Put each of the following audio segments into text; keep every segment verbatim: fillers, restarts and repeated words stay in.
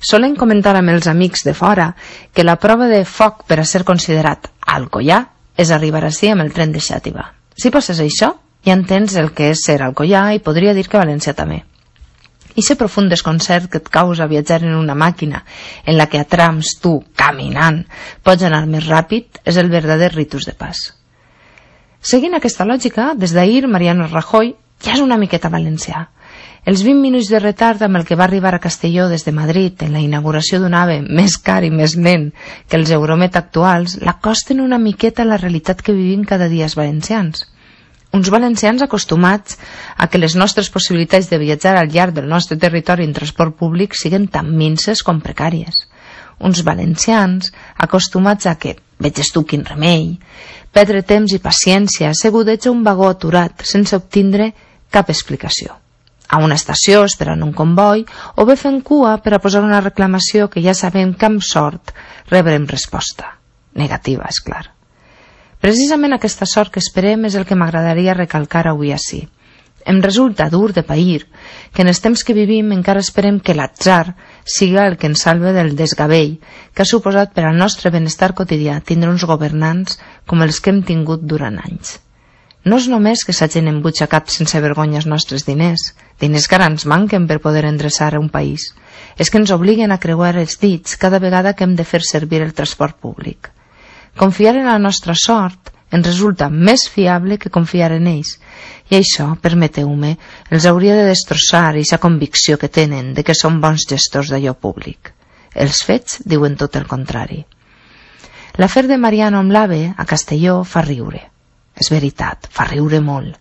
Solen comentar amb els amics de fora que la prova de foc per a ser considerat alcoià és arribar ací amb el tren de Xàtiva. Si passes això, ja entens el que és ser alcoià i podria dir que València també. Ixe profund desconcert que et causa viatjar en una màquina en la que a trams tu, caminant, pots anar més ràpid és el verdader ritus de pas. Seguint aquesta lògica, des d'ahir Mariano Rajoy ja és una miqueta valencià. Els vint minuts de retard amb el que va arribar a Castelló des de Madrid en la inauguració d'un AVE més car i més lent que els Euromet actuals l'acosten una miqueta a la realitat que vivim cada dia els valencians. Uns valencians acostumats a que les nostres possibilitats de viatjar al llarg del nostre territori en transport públic siguen tan minces com precàries. Uns valencians acostumats a que, veges tu quin remei, perdre temps i paciència assegudets a un vagó aturat sense obtindre cap explicació. A una estació esperant un comboi o bé fent cua per a posar una reclamació que ja sabem que amb sort rebrem resposta. Negativa, és clar. Precisament aquesta sort que esperem és el que m'agradaria recalcar avui ací. Em resulta dur de pair que en els temps que vivim encara esperem que l'atzar siga el que ens salve del desgavell que ha suposat per al nostre benestar quotidià tindre uns governants com els que hem tingut durant anys. No és només que s'hagin embutxacat sense vergonya els nostres diners, diners que ara ens manquen per poder endreçar un país, és que ens obliguen a creuar els dits cada vegada que hem de fer servir el transport públic. Confiar en la nostra sort ens resulta més fiable que confiar en ells, i això, permeteu-me, els hauria de destrossar aquesta convicció que tenen de que són bons gestors d'allò públic. Els fets diuen tot el contrari. L'afer de Mariano amb l'AVE a Castelló fa riure. És veritat, fa riure molt.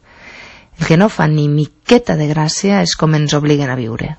El que no fa ni miqueta de gràcia és com ens obliguen a viure.